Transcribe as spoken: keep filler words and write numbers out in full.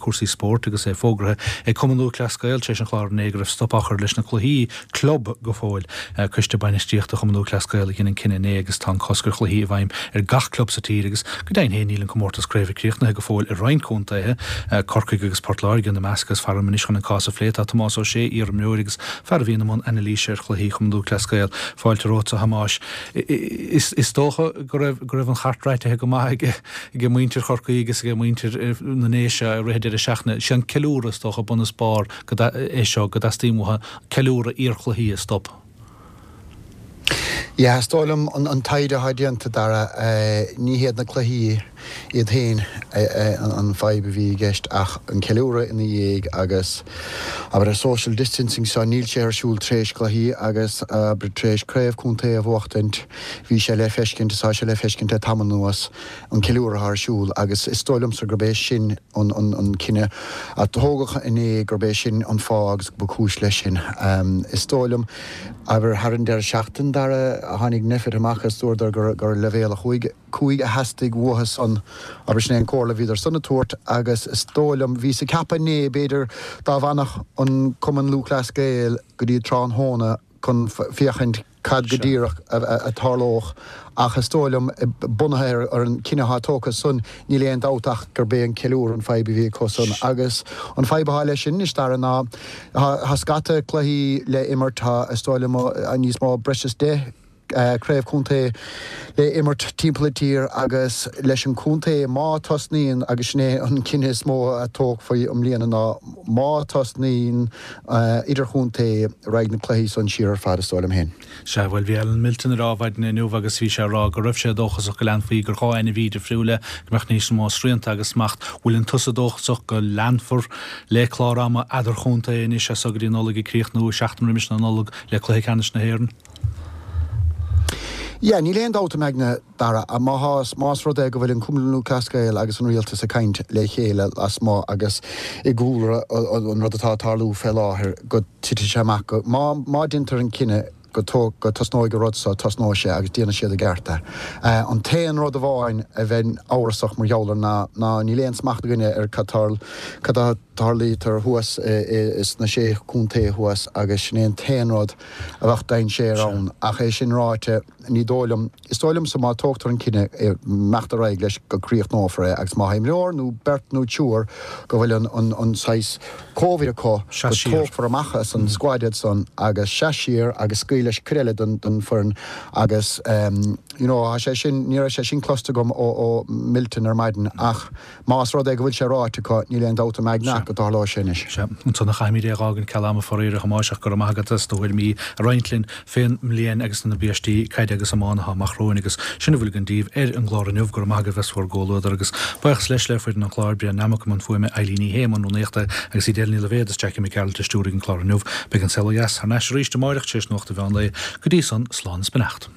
cúrsaí spóirt agus é fógartha ag Cumann Lúthchleas Gael tar éis an chláir inné go raibh stop á chur leis na cluichí club go fóill. Coiste Bainistíochta Chumann Lúthchleas Gael a dhein an cinneadh inné agus tá an cosc ar chluichí i bhfeidhm ar gach club sa tír agus go deimhin féin níl an comórtas craoibhe críochnaithe go fóill i roinnt contaetha, Corcaigh agus Port Láirge ina measc agus faram anois chun an cás a phlé tá Tomás Ó Sé, iarimreoir agus fear a bhíonn i mbun anailíse ar chluichí Chumann Lúthchleas Gael. Fáilte romhat a Thomáis. Is dócha go raibh go raibh an chairt réitithe go maith ag ag muintir Chorcaí agus ag muintir na nDéise i rith deireadh seachtaine. Sé an ceiliúradh is dócha bun is barr é seo go dteastaíonn uathu ceiliúradh iarchluichí a stop. Yeah, is dóigh liom an taighde atá déanta Dara ní hiad na cluichí iad féin an fadhb a bhí i gceist ach an ceiliúradh ina dhiaidh agus abair an social distancing seo níl sé ar siúl tar éis cluichí agus abair tar éis craobh contae a bhuachtaint bhí sé le feiscint is tá sé le feiscint le tamall anuas an ceiliúradh atá ar siúl agus is dóigh liomsa gurb é sin an an an cinneadh a tógadh inné gurb é sin an fáth agus ba chúis leis sin. Is dóigh liom abair thar an deireadh seachtain Dara tháinig Nphet amach is dúradar gur gur leibhéal a chúig cúig a theastaigh uathu san abair sin é an comhairle a bhíodar san a tabhairt agus is dóigh liom bhíos ag ceapadh inné b'fhéidir dá bhfanfadh an Cumann Lúthchleas Gael go dtí tráthnóna chun féachaint cad go díreach a tharlódh ach is dóigh liom bunaithe ar an cinneadh atá tógtha san níl aon dabht ach gurb é an ceiliúradh an fadhb a bhí acu san agus an fadhb atá leis sin anois Dara ná tá scata cluichí le imirt tá is dóigh liom níos mó breis is deich craobh contae le imirt timpeall an tír agus leis an contae má tosnaíonn agus sin é an cinneadh is mó a tógfaí i mbliana ná má tosnaíonn idirchontae raghaidh na cluichí san siar ar fad is dóigh liom féin. Sea, bhuel bhí Alan Milton ar maidin inniu agus bhí sé ag rá go raibh sé dóchasach go leanfaí gur dhá ainmhí difriúla go mbeadh níos mó srianta agus smacht. Bhfuil tusa dóchasach go leanfar le clár ama eadarchontae anois as so go dtí Nollaig ag críochnú seachtain roimis na Nollag le cluiche ceannais na hÉireann? Yeah, níl aon dabht im aigne Dara má más rud é go bhfuil an Cumann Lúthchleas Gael agus an rialtas ag caint le chéile lasmuigh agus i gcúlra an rud atá ag tarlú fé láthair go titfidh sé amach go má má déantar an cinneadh go go tosnóidh an rud seo tosnóidh sé agus déanfaidh siad i gceart é. An t-aon rud amháin a bheinn amhrasach mar gheall air ná ná níl aon smacht againne ar cad cad a tarlaítear thuas sna sé chontae thuas agus sin é an t-aon rud a bheadh dainséar ann ach é sin ráite ní dóigh liom is dóigh liomsa má tógtar an cinneadh imeacht ar aghaidh leis go críochnófar é agus má tá imreoir nó beirt nó triúr go bhfuil an an an saghas Covid acu go tógfar amach as an squad iad san agus seas siar agus scaoil leis cuid eile den den foireann agus you know tá sé sin ní raibh sé sin cloiste agam ó ó Milton ar maidin ach más rud é go bhfuil sé ráite acu níl aon dabht im aigne ach go dtarlóidh sé anois. Sea, ansan a chaithfimid é a dh'fhágaint ceal ama faraor a Thomáis ach go raibh maith agat as do thuairimí a roinnt linn fén mbliain agus na biaistí caide agus iomána atá amach romhainn agus sin a bhfuil againn daoibh ar an gclár inniu. Go raibh maith agaibh as bhur gcomhluadar agus buíochas leis le foireann an chláir, Brian Nammock i mbun fuaime, Eileen Ní Shé i mbun rúnaíochta agus Edel Ní Loibhéad is Jackie Mac Gearailt a stiúraigh an clár inniu. Beidh an Saol Ó Dheas thar n-ais arís amáireach tar éis nuacht an mheán lae. Go dtí san, slán is beannacht.